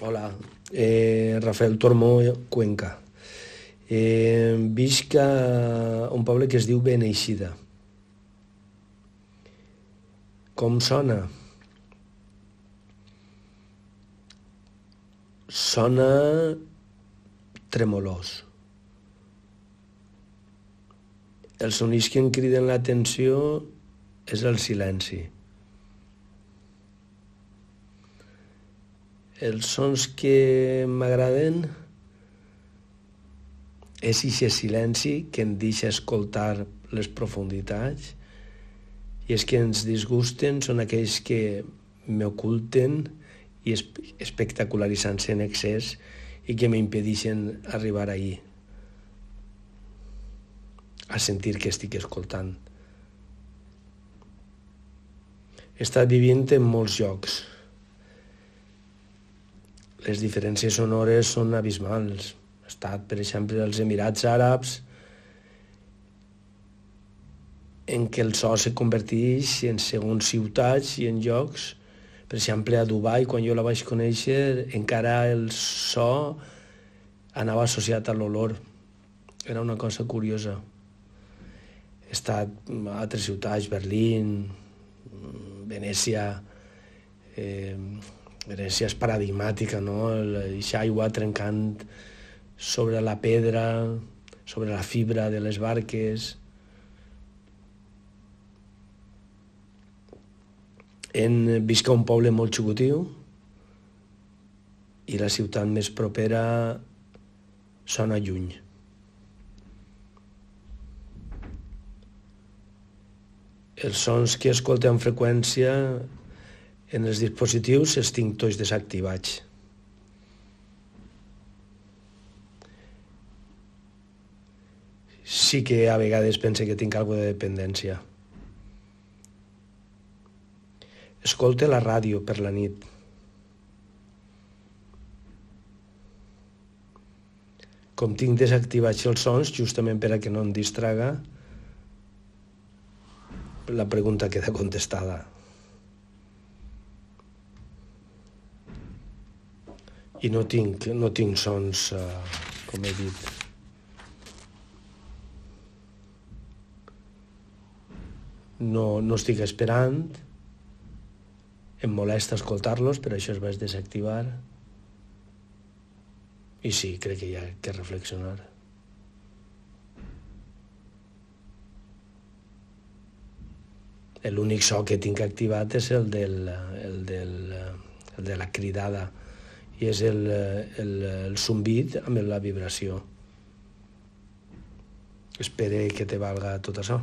Hola, Rafael Tormó, Cuenca. Visc a un poble que es diu Beneixida. Com sona? Sona tremolós. Els sonids que em criden l'atenció és el silenci. Els sons que m'agraden és aquest silenci que em deixa escoltar les profunditats, i els que ens disgusten són aquells que m'oculten i espectacularitzant-se en excés i que m'impedeixen arribar ahí, a sentir que estic escoltant. He estat vivint en molts llocs. Les diferències sonores són abismals. He estat, per exemple, als Emirats Àrabs, en què el so se converteix en segons ciutats i en llocs. Per exemple, a Dubai, quan jo la vaig conèixer, encara el so anava associat a l'olor. Era una cosa curiosa. He estat a altres ciutats, Berlín, Venècia. Venècia és paradigmàtica, no? Aquesta aigua trencant sobre la pedra, sobre la fibra de les barques. Visc a un poble molt xicotiu i la ciutat més propera sona lluny. Els sons que escolto amb freqüència en els dispositius els tinc tots desactivats. Sí que a vegades pense que tinc alguna de dependència. Escolte la ràdio per la nit. Com tinc desactivats els sons, justament per a que no em distraga, la pregunta queda contestada. I no tinc sons, com he dit. No estic esperant. Em molesta escoltar-los, per això els vaig desactivar. I sí, crec que hi ha que reflexionar. L'únic so que tinc activat és el de la cridada, i és el zumbit amb la vibració. Espero que te valga tot això.